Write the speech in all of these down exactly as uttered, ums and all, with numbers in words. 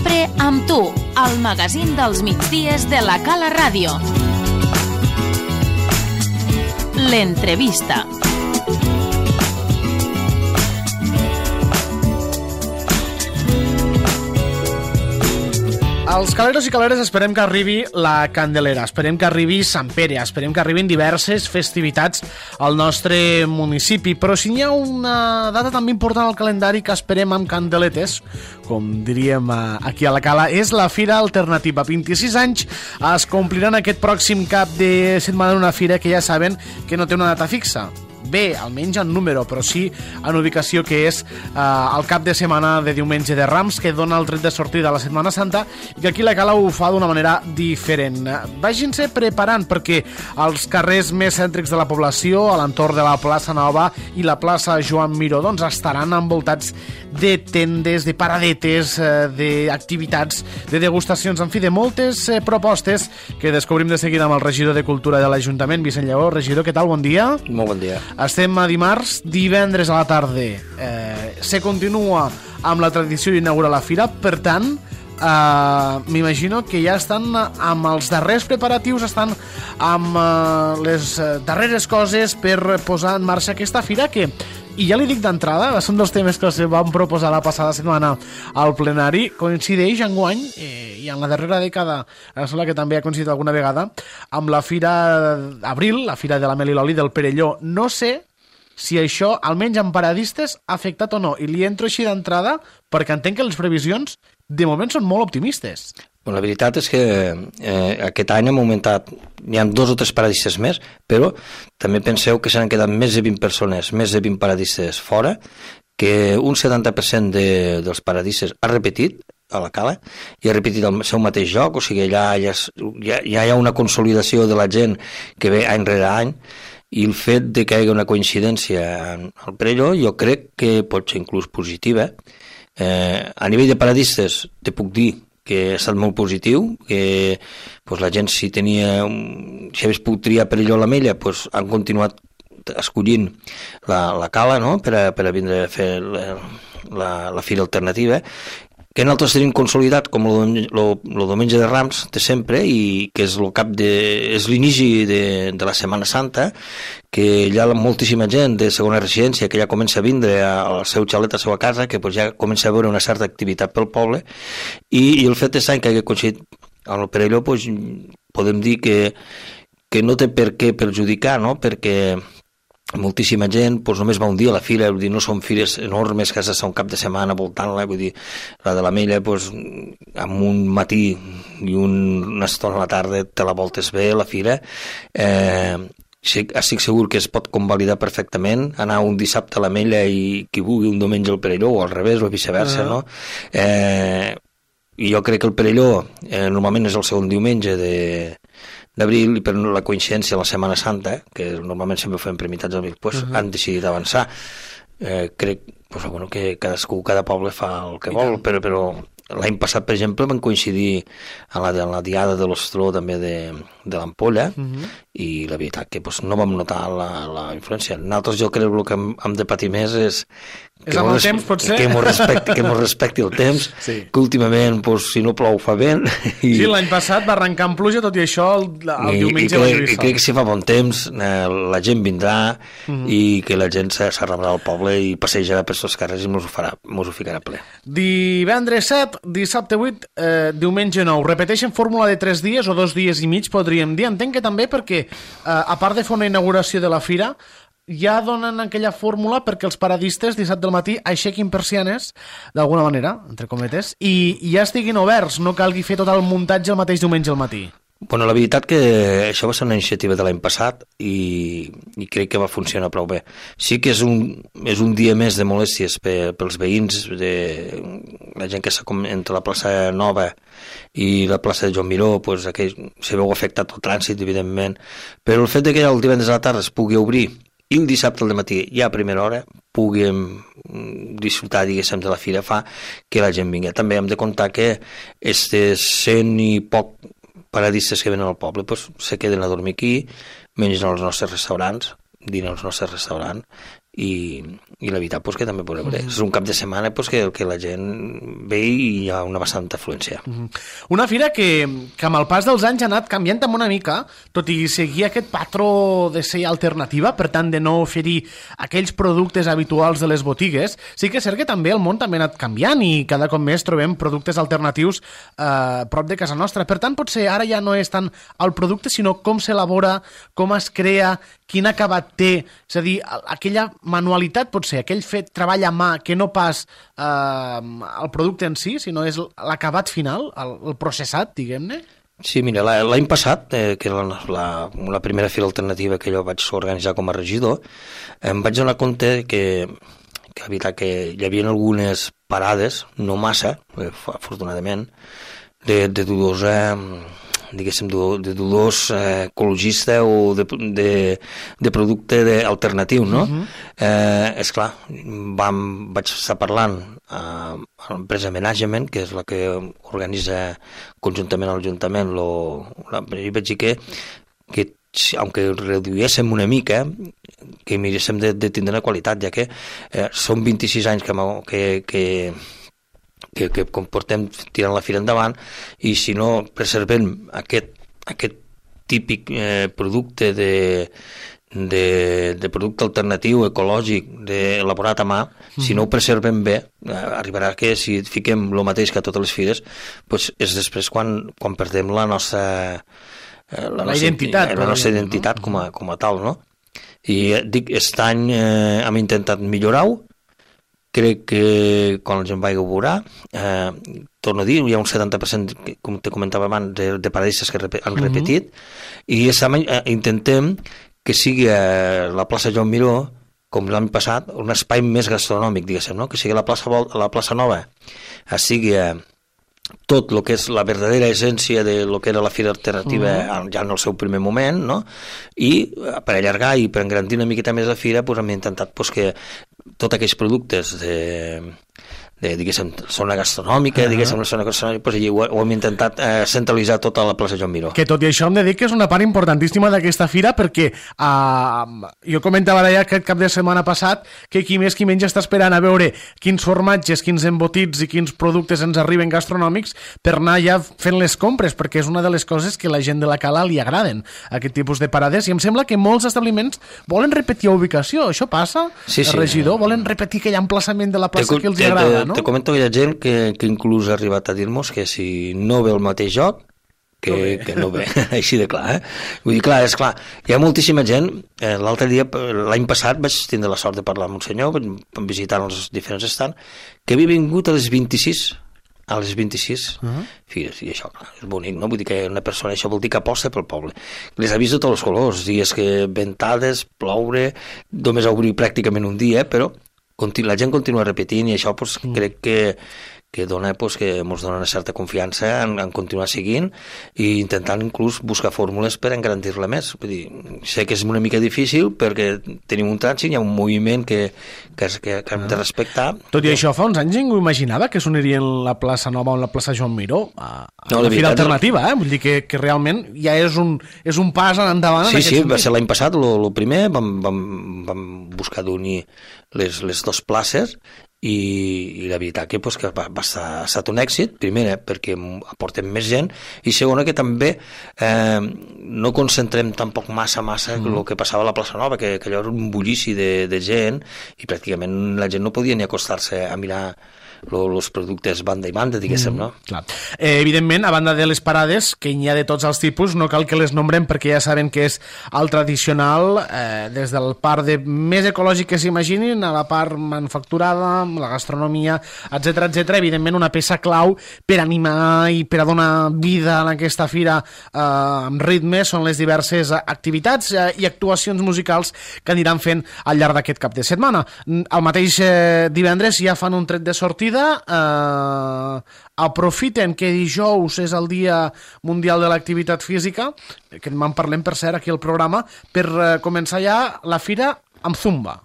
sempre amb tu, al magazín dels migdies de la Cala Ràdio. L'entrevista. Els caleros i caleres esperem que arribi la Candelera, esperem que arribi Sant Pere, esperem que arribin diverses festivitats al nostre municipi, però si hi ha una data també important al calendari que esperem amb candeletes, com diríem aquí a la Cala, és la Fira Alternativa. vint-i-sis anys es compliran aquest pròxim cap de setmana, una fira que ja saben que no té una data fixa. Bé, almenys en número, però sí en ubicació, que és eh, el cap de setmana de diumenge de Rams, que dona el tret de sortida a la Setmana Santa, i que aquí la Cala ho fa d'una manera diferent. Vagin-se preparant, perquè els carrers més cèntrics de la població, a l'entorn de la plaça Nova i la plaça Joan Miró, doncs estaran envoltats de tendes, de paradetes, eh, d'activitats, de degustacions, en fi, de moltes eh, propostes que descobrim de seguida amb el regidor de Cultura de l'Ajuntament, Vicent Lleó. Regidor, què tal? Bon dia. Molt bon dia. Estem a dimarts, divendres a la tarda eh, se continua amb la tradició d'inaugurar la fira, per tant eh, m'imagino que ja estan amb els darrers preparatius, estan amb eh, les darreres coses per posar en marxa aquesta fira que, i ja li dic d'entrada, són dels temes que se van proposar la passada setmana al plenari, coincideix enguany eh, i en la darrera dècada, em sembla que també ha coincidit alguna vegada, amb la Fira d'Abril, la Fira de la Mel i l'Oli del Perelló. No sé si això, almenys en paradistes, ha afectat o no, i li entro així d'entrada perquè entenc que les previsions de moment són molt optimistes. Bueno, la veritat és que eh, aquest any hem augmentat, hi ha dos o tres paradistes més, però també penseu que s'han quedat més de vint persones, més de vint paradistes fora, que un setanta per cent de, dels paradistes ha repetit a la Cala i ha repetit el seu mateix joc, o sigui, allà ja, ja, ja hi ha una consolidació de la gent que ve any rere any, i el fet de que hi hagi una coincidència al Perelló jo crec que pot ser inclús positiva. Eh, a nivell de paradistes te puc dir que ha estat molt positiu, que pues, la gent si tenia si hagués pogut triar Perelló o l'Ametlla, pues, han continuat escollint la, la Cala, no?, per a, per a vindre a fer la, la, la fira alternativa, que nosaltres tenim consolidat com el diumenge de Rams de sempre, i que és el cap de, és l'inici de, de la Setmana Santa, que hi ha moltíssima gent de segona residència que ja comença a vindre al seu xalet, a la seva casa, que pues, ja comença a veure una certa activitat pel poble, i, i el fet és que hagi coincidit amb el Perelló, pues, podem dir que, que no té per què perjudicar, no?, perquè moltíssima gent pues, només va un dia a la fira, vull dir, no són fires enormes que has d'estar un cap de setmana voltant-la, vull dir, la de l'Ametlla pues, amb un matí i un, una estona a la tarda te la voltes bé, la fira. Eh, sí, estic segur que es pot convalidar perfectament, anar un dissabte a l'Ametlla i qui vulgui un diumenge al Perelló, o al revés, o viceversa, uh-huh. no? Eh, i jo crec que el Perelló eh, normalment és el segon diumenge de d'abril, i per la coincidència de la Setmana Santa, que normalment sempre ho fem per meitats d'abril, pues, uh-huh. han decidit avançar. Eh, crec pues, bueno, que cadascú, cada poble fa el que I vol, tant. però, però l'any passat, per exemple, van coincidir en la, en la diada de l'Ostró també de, de l'Ampolla, uh-huh. i la veritat que pues, no vam notar la, la influència. Nosaltres jo crec que el que hem, hem de patir més és és amb el res... temps, potser? Que mos respecti, que mos respecti el temps, sí. que últimament, pues, si no plou, fa vent. I... Sí, l'any passat va arrencar amb pluja, tot i això, el, el I, diumenge i va lluir sol. I crec que si fa bon temps, eh, la gent vindrà, uh-huh. i que la gent s'arrebrà al poble i passejarà per tots carrers i mos ho, farà, mos ho ficarà ple. Divendres set, dissabte vuit, eh, diumenge nou. Repeteixen fórmula de tres dies o dos dies i mig, podríem dir. Entenc que també perquè, eh, a part de fer una inauguració de la fira, ja donen aquella fórmula perquè els paradistes dissabte al matí aixequin persianes, d'alguna manera, entre cometes, i, i ja estiguin oberts, no calgui fer tot el muntatge el mateix diumenge al matí. Bueno, la veritat que això va ser una iniciativa de l'any passat i, i crec que va funcionar prou bé. Sí que és un, és un dia més de molèsties per, pels veïns, de la gent que està entre la plaça Nova i la plaça de Joan Miró, pues, aquell, se veu afectat el trànsit, evidentment, però el fet de que el divendres a la tarda es pugui obrir i el dissabte al matí, ja a primera hora, puguem disfrutar, diguéssim, de la fira, fa que la gent vingui. També hem de comptar que estes cent i poc paradistes que venen al poble pues, se queden a dormir aquí, mengen als nostres restaurants, dinen als nostres restaurants, i, i la veritat pues, que també podrem veure. Mm. És un cap de setmana pues, que, que la gent ve i hi ha una bastanta afluència. Mm. Una fira que, que amb el pas dels anys ha anat canviant també una mica, tot i seguir aquest patró de ser alternativa, per tant de no oferir aquells productes habituals de les botigues. Sí que és cert que també el món també ha anat canviant i cada cop més trobem productes alternatius eh, prop de casa nostra. Per tant, potser ara ja no és tant el producte, sinó com s'elabora, com es crea, quin acabat té, és a dir, aquella manualitat pot ser, aquell fet treball a mà que no pas eh, el producte en si, sinó és l'acabat final, el, el processat, diguem-ne? Sí, mira, l'any passat, eh, que era la, la, la primera fira alternativa que jo vaig organitzar com a regidor, em vaig donar compte que, que, veritat, que hi havia algunes parades, no massa, eh, afortunadament, de, de dudosa... diguéssim, de dudós eh, ecologista o de, de, de producte de, alternatiu, no? Uh-huh. eh, esclar, vam, vaig estar parlant eh, a l'empresa Management, que és la que organitza conjuntament amb l'Ajuntament, lo, la, i vaig dir que, que aunque reduíssim una mica, que miréssim de, de tindre una qualitat, ja que eh, són vint-i-sis anys que... que, que que, que portem tirant la fira endavant, i si no preservem aquest, aquest típic eh, producte de, de, de producte alternatiu, ecològic, de, elaborat a mà, mm. si no ho preservem bé, eh, arribarà que si fiquem el mateix que a totes les fires, pues és després quan, quan perdem la nostra, eh, la, la nostra identitat, la nostra identitat no? com, a, com a tal, no? I eh, dic, aquest any eh, hem intentat millorar-ho. Crec que quan la gent vagi a veurà, eh, torno a dir, hi ha un setanta per cent, com te comentava abans, de, de paradistes que rep han repetit, uh-huh. i aquest any eh, intentem que sigui eh, la plaça Joan Miró, com l'any passat, un espai més gastronòmic, diguéssim, no? Que sigui la plaça, la plaça Nova, eh, sigui eh, tot el que és la verdadera essència de lo que era la fira alternativa uh-huh. ja en el seu primer moment, no? I per allargar i per engrandir una miqueta més la fira, pues, hem intentat pues, que tots aquells productes de, de diguéssim, zona gastronòmica, uh-huh. diguéssim, la zona gastronòmica, pues, ho, ho hem intentat eh, centralitzar tota la plaça Joan Miró. Que tot i això hem de dir que és una part importantíssima d'aquesta fira, perquè eh, jo comentava d'allà aquest cap de setmana passat que qui més qui menys està esperant a veure quins formatges, quins embotits i quins productes ens arriben gastronòmics per anar ja fent les compres, perquè és una de les coses que la gent de la Cala li agraden, aquest tipus de parades, i em sembla que molts establiments volen repetir ubicació. Això passa, sí, sí. Regidor? Volen repetir aquell emplaçament de la plaça te, que els te, agrada, no? Te comento que hi ha gent que, que inclús ha arribat a dir-nos que si no ve el mateix joc, que no ve, que no ve. Així de clar, eh? Vull dir, clar, és clar, hi ha moltíssima gent, eh, l'altre dia, l'any passat, vaig tindre la sort de parlar amb un senyor, visitar els diferents estants, que havia vingut a les vint-i-sis, a les vint-i-sis, uh-huh. Fires, i això, clar, és bonic, no? Vull dir que una persona, això vol dir que aposta pel poble. Les ha vist de tots els colors, dies que ventades, ploure, només ha obrit pràcticament un dia, però la gent continua repetint i això pues, mm. crec que, que dona, pues, que ens dona una certa confiança en, en continuar seguint i intentant inclús buscar fórmules per engrandir-la més. Vull dir, sé que és una mica difícil perquè tenim un trànsit, hi ha un moviment que, que, que, que hem de respectar. Tot i això, fa uns anys ningú imaginava que s'unirien la plaça Nova o la plaça Joan Miró a, a no, la fira alternativa, eh? Vull dir que, que realment ja és un, és un pas endavant. Sí, sí, sentit. Va ser l'any passat, el primer, vam, vam, vam buscar d'unir les, les dues places i, i la veritat que, pues, que va, va estar, ha estat un èxit, primera perquè aportem més gent i segona que també eh, no concentrem tampoc massa massa mm. el que passava a la plaça Nova, que, que allò era un bullici de, de gent i pràcticament la gent no podia ni acostar-se a mirar els productes banda i banda, diguéssim, mm, no? Clar. Eh, evidentment, a banda de les parades, que n'hi ha de tots els tipus, no cal que les nombrem perquè ja saben que és el tradicional, eh, des del part de més ecològic que s'imaginin a la part manufacturada, la gastronomia, etcètera, etcètera. Evidentment, una peça clau per animar i per a donar vida a aquesta fira eh, amb ritme són les diverses activitats eh, i actuacions musicals que aniran fent al llarg d'aquest cap de setmana. El mateix eh, divendres ja fan un tret de sortida. Eh, aprofiten que dijous és el Dia Mundial de l'Activitat Física, que en parlem per cert aquí al programa, per eh, començar ja la fira amb Zumba.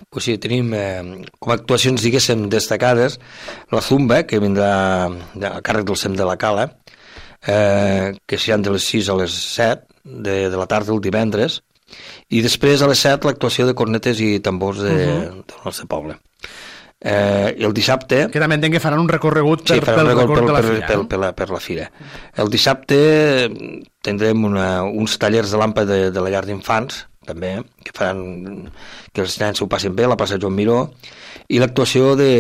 Pues sí, tenim eh, com a actuacions, diguéssim, destacades la Zumba, que vindrà a càrrec del C E M de la Cala, eh, que seran de les sis a les set de, de la tarda el divendres, I després a les set l'actuació de cornetes i tambors de, uh-huh. del nostre poble. Eh, el dissabte... Que també entenc que faran un recorregut per, sí, pel un recorregut recorregut de la per, fira. Per, per, la, per la fira. El dissabte tindrem una, uns tallers de làmpada de, de la llar d'infants, també, que faran que els nens s'ho passin bé, la plaça Joan Miró, i l'actuació de,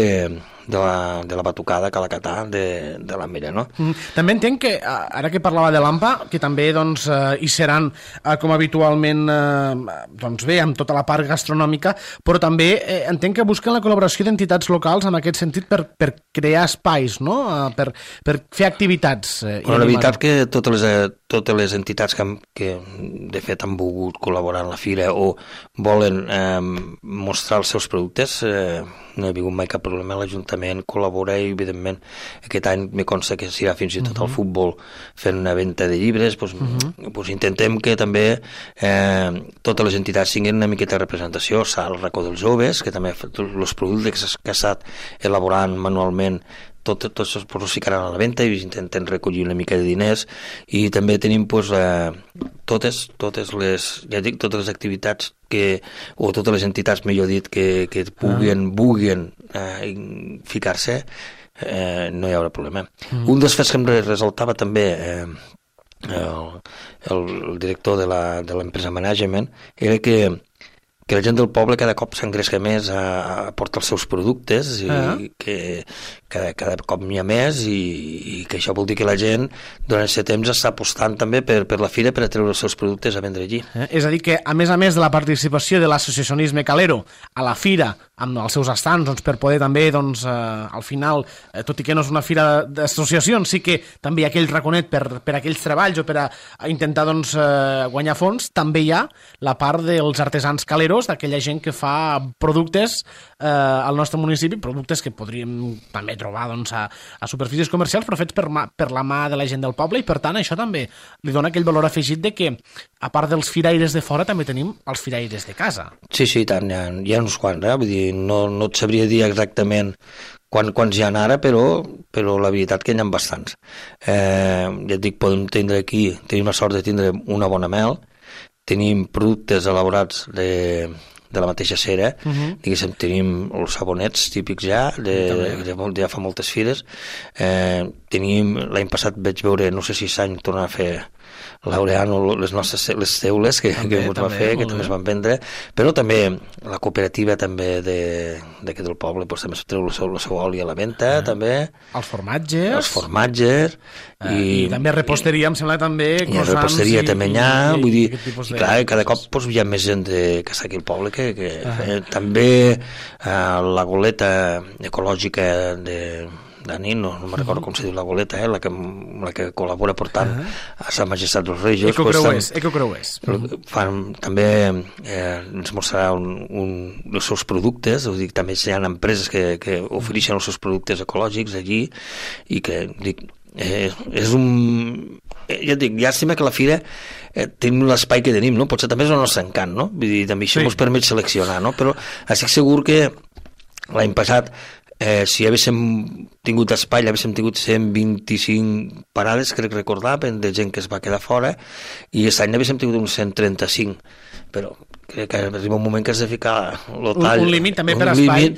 de, la, de la batucada Calacatà de, de la Mira, no? Mm. També entenc que, ara que parlava de l'Ampa, que també doncs, eh, hi seran, eh, com habitualment, eh, doncs bé, amb tota la part gastronòmica, però també eh, entenc que busquen la col·laboració d'entitats locals en aquest sentit per, per crear espais, no? Eh, per, per fer activitats. Eh, bueno, la veritat que totes les, totes les entitats que, que de fet han volgut col·laborar en la fira o volen eh, mostrar els seus productes, eh, no hi ha hagut mai cap problema. L'Ajuntament col·labora i, evidentment, aquest any me consta que s'irà fins i tot uh-huh. al futbol fent una venda de llibres. Doncs, uh-huh. doncs intentem que també eh, totes les entitats tinguin una miqueta de representació. S'ha el racó dels joves, que també els productes que s'ha estat elaborant manualment Tot, tots els posos ficaran a la venda i intenten recollir una mica de diners, i també tenim pues, eh, totes, totes les, ja dic, totes les activitats que, o totes les entitats, millor dit, que, que puguin, ah. vulguin eh, ficar-se, eh, no hi haurà problema. Mm. Un dels fets que em resaltava també eh, el, el, el director de l'empresa Management era que que la gent del poble cada cop s'engresca més a, a portar els seus productes i uh -huh. que cada, cada cop n'hi ha més i, i que això vol dir que la gent durant aquest temps està apostant també per, per la fira per a treure els seus productes a vendre allí. Eh? És a dir que, a més a més de la participació de l'associacionisme calero a la fira, amb els seus estants, doncs, per poder també, doncs, eh, al final, eh, tot i que no és una fira d'associacions, sí que també hi ha aquell raconet per, per aquells treballs o per a, a intentar doncs, eh, guanyar fons, també hi ha la part dels artesans caleros, d'aquella gent que fa productes eh, al nostre municipi, productes que podríem també trobar doncs, a, a superfícies comercials, però fets per, ma, per la mà de la gent del poble, i per tant això també li dona aquell valor afegit de que, a part dels firaires de fora, també tenim els firaires de casa. Sí, sí, tant, hi ha, hi ha uns quants, eh? Vull dir, no, no et sabria dir exactament Quan, quants hi ha ara, però, però la veritat que hi ha bastants. Eh, ja et dic, podem tindre aquí, tenim la sort de tindre una bona mel, tenim productes elaborats de, de la mateixa cera, uh-huh. diguéssim, tenim els sabonets típics ja, de, de, de, ja fa moltes fires, eh, tenim, l'any passat vaig veure, no sé si s'any tornar a fer l'Aureano, les nostres les teules que, també, que ens va fer, que també es van vendre, però també la cooperativa també d'aquí del poble doncs, també treu la seva, la seva oli a la venda, ah. també. Els formatges. Els formatges. Ah, I, I també reposteria, em sembla també croissants. I reposteria i, també hi ha, i, vull dir, i, i clar, cada cop doncs, hi ha més gent de, que està aquí al poble que, que ah. eh, també eh, la goleta ecològica de Dani, no, no me'n recordo uh-huh. com se diu la goleta, eh, la, que, la que col·labora portant uh-huh. a Sa Majestat dels Reis. Ecocreuers, pues, ecocreuers. Uh-huh. Fan, també eh, ens mostrarà un, un, els seus productes, vull dir, també hi ha empreses que, que ofereixen els seus productes ecològics allí, i que, dic, eh, és un... Ja et dic, llàstima que la fira eh, tenim l'espai que tenim, no? Potser també és el nostre encant, no? Vull dir, també això sí. ens permet seleccionar, no? Però estic segur que l'any passat Eh, si haguéssim tingut espai, haguéssim tingut cent vint-i-cinc parades, crec recordar, de gent que es va quedar fora, i aquest any haguéssim tingut uns cent trenta-cinc, però crec que arriba un moment que has de ficar el tall, un, un límit també un per espai,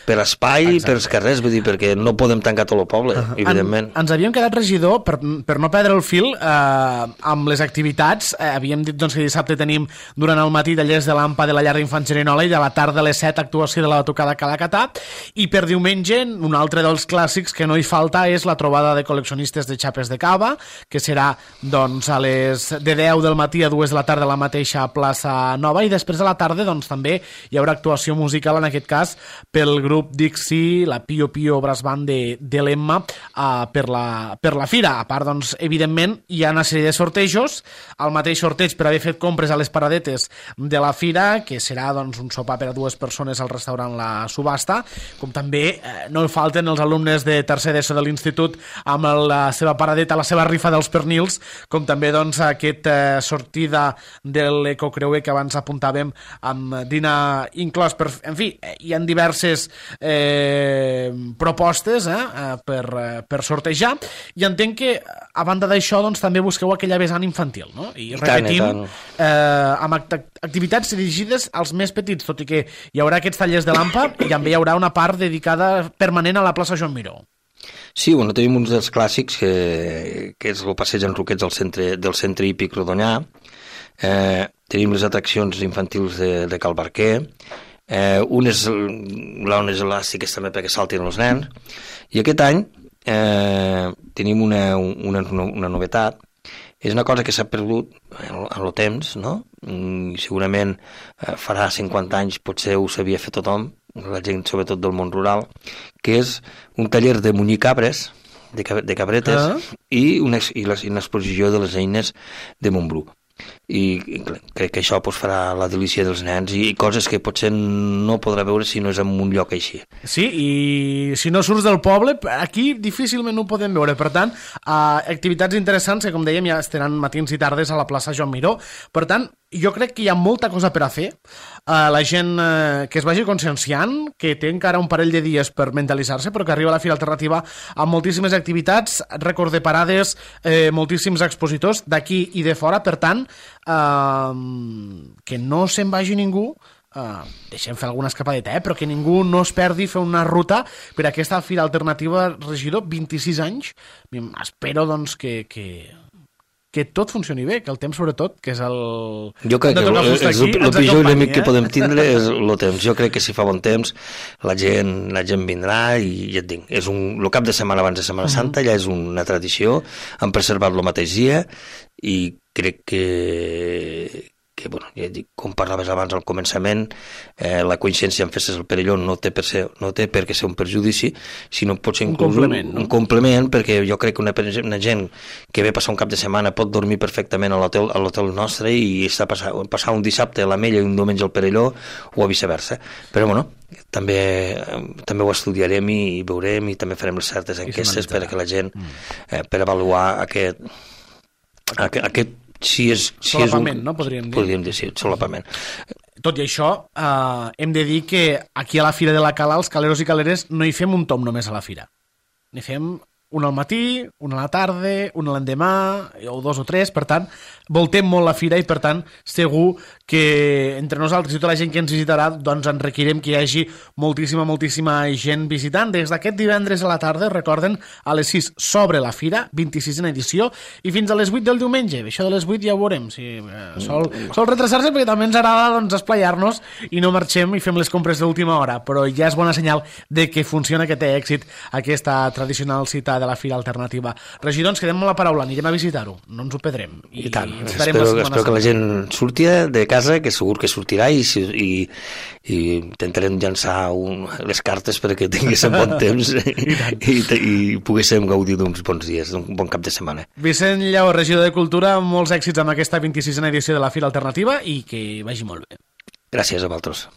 per espai i per els carrers, vull dir, perquè no podem tancar tot el poble, uh-huh. evidentment. En, ens havíem quedat, regidor, per, per no perdre el fil, eh, amb les activitats. Eh, havíem dit doncs, que dissabte tenim durant el matí tallers de l'Ampa de la llar d'infants Gerinola, i de la tarda a les set actuació de la batucada Calacatà, i per diumenge un altre dels clàssics que no hi falta és la trobada de col·leccionistes de xapes de cava, que serà doncs, a les de deu del matí a dues de la tarda a la mateixa plaça Nova, i després a la tarda doncs, també hi haurà actuació musical, en aquest cas pel grup Dixie, la Pio Pio Brass Band de, de l'Emma, uh, per, la, per la fira. A part, doncs, evidentment, hi ha una sèrie de sortejos, el mateix sorteig per haver fet compres a les paradetes de la fira, que serà doncs, un sopar per a dues persones al restaurant La Subhasta, com també eh, no hi falten els alumnes de tercer d'ESO de l'institut amb la seva paradeta, la seva rifa dels pernils, com també doncs, aquest eh, sortida de l'Ecocreuer que abans apuntava parlàvem, amb dinar inclòs. Per, en fi, hi ha diverses eh, propostes eh, per, per sortejar, i entenc que, a banda d'això, doncs, també busqueu aquella vessant infantil, no? I, I repetim, tant, tant. Eh, amb act activitats dirigides als més petits, tot i que hi haurà aquests tallers de l'A M P A i també hi haurà una part dedicada permanent a la plaça Joan Miró. Sí, bueno, tenim uns dels clàssics, que, que és el passeig en Roquets del centre, del centre hípic Rodonyà, eh, tenim les atraccions infantils de, de Cal Barquer, eh, unes launes elàstiques també perquè saltin els nens, i aquest any eh, tenim una, una, una novetat. És una cosa que s'ha perdut en el temps, no? I segurament eh, farà cinquanta anys potser ho sabia fer tothom, la gent sobretot del món rural, que és un taller de munyir cabres, de, cab de cabretes, ah. i, una, i, la, i una exposició de les eines de Montbrú. I, i crec que això pues, farà la delícia dels nens i, i coses que potser no podrà veure si no és en un lloc així. Sí, i si no surts del poble, aquí difícilment ho podem veure. Per tant, eh, activitats interessants que, com dèiem, ja estaran matins i tardes a la plaça Joan Miró. Per tant, jo crec que hi ha molta cosa per a fer. Uh, la gent uh, que es vagi conscienciant, que té encara un parell de dies per mentalitzar-se, però que arriba a la Fira Alternativa amb moltíssimes activitats, rècord de parades, eh, moltíssims expositors d'aquí i de fora. Per tant, uh, que no se'n vagi ningú, uh, deixem fer alguna escapadeta, eh? Però que ningú no es perdi fer una ruta per aquesta Fira Alternativa. Regidor, vint-i-sis anys, espero doncs que... que... que tot funcioni bé, que el temps sobretot, que és el... Jo crec que el, el, el, el pitjor enemic eh? que podem tindre és el temps. Jo crec que si fa bon temps la gent, la gent vindrà i ja et dic, és un, el cap de setmana abans de Setmana uh-huh. Santa ja és una tradició, han preservat el mateix dia i crec que, que bueno, ja dic, com parlaves abans al començament, eh, la coincidència en festes del Perelló no té, per ser, no té per què ser un perjudici, sinó pot ser un complement, un, no? un complement, perquè jo crec que una, una gent que ve passar un cap de setmana pot dormir perfectament a l'hotel nostre i està passar, passar un dissabte a l'Ametlla i un diumenge al Perelló, o viceversa. Però bueno, també, també ho estudiarem i, i veurem i també farem les certes enquestes perquè la gent, eh, per avaluar aquest, aquest, aquest si és, si solapament, és un, no? Podríem dir. Podríem dir, sí, solapament. Tot i això, eh, hem de dir que aquí a la Fira de la Cala, els caleros i caleres, no hi fem un tom només a la Fira. N'hi fem un al matí, un a la tarda, un l'endemà, o dos o tres. Per tant, voltem molt la Fira i, per tant, segur que entre nosaltres i tota la gent que ens visitarà, doncs en requerem que hi hagi moltíssima, moltíssima gent visitant. Des d'aquest divendres a la tarda, recorden, a les sis s'obre la Fira, vint-i-sisena edició, i fins a les vuit del diumenge. Això de les vuit ja ho veurem. Si, eh, sol, sol retrasar-se perquè també ens agrada doncs, esplayar-nos i no marxem i fem les compres d'última hora, però ja és bona senyal de que funciona, que té èxit aquesta tradicional cita de la Fira Alternativa. Regidor, ens quedem amb la paraula, anirem a visitar-ho, no ens ho perdrem. I, I tant, espero, espero que la gent surti de casa, que segur que sortirà, i, i, i intentarem llançar un, les cartes perquè tinguéssim bon temps i, i, i poguéssim gaudir d'uns bons dies, d'un bon cap de setmana. Vicent Lleó, regidor de Cultura, molts èxits amb aquesta vint-i-sisena edició de la Fira Alternativa i que vagi molt bé. Gràcies a vosaltres.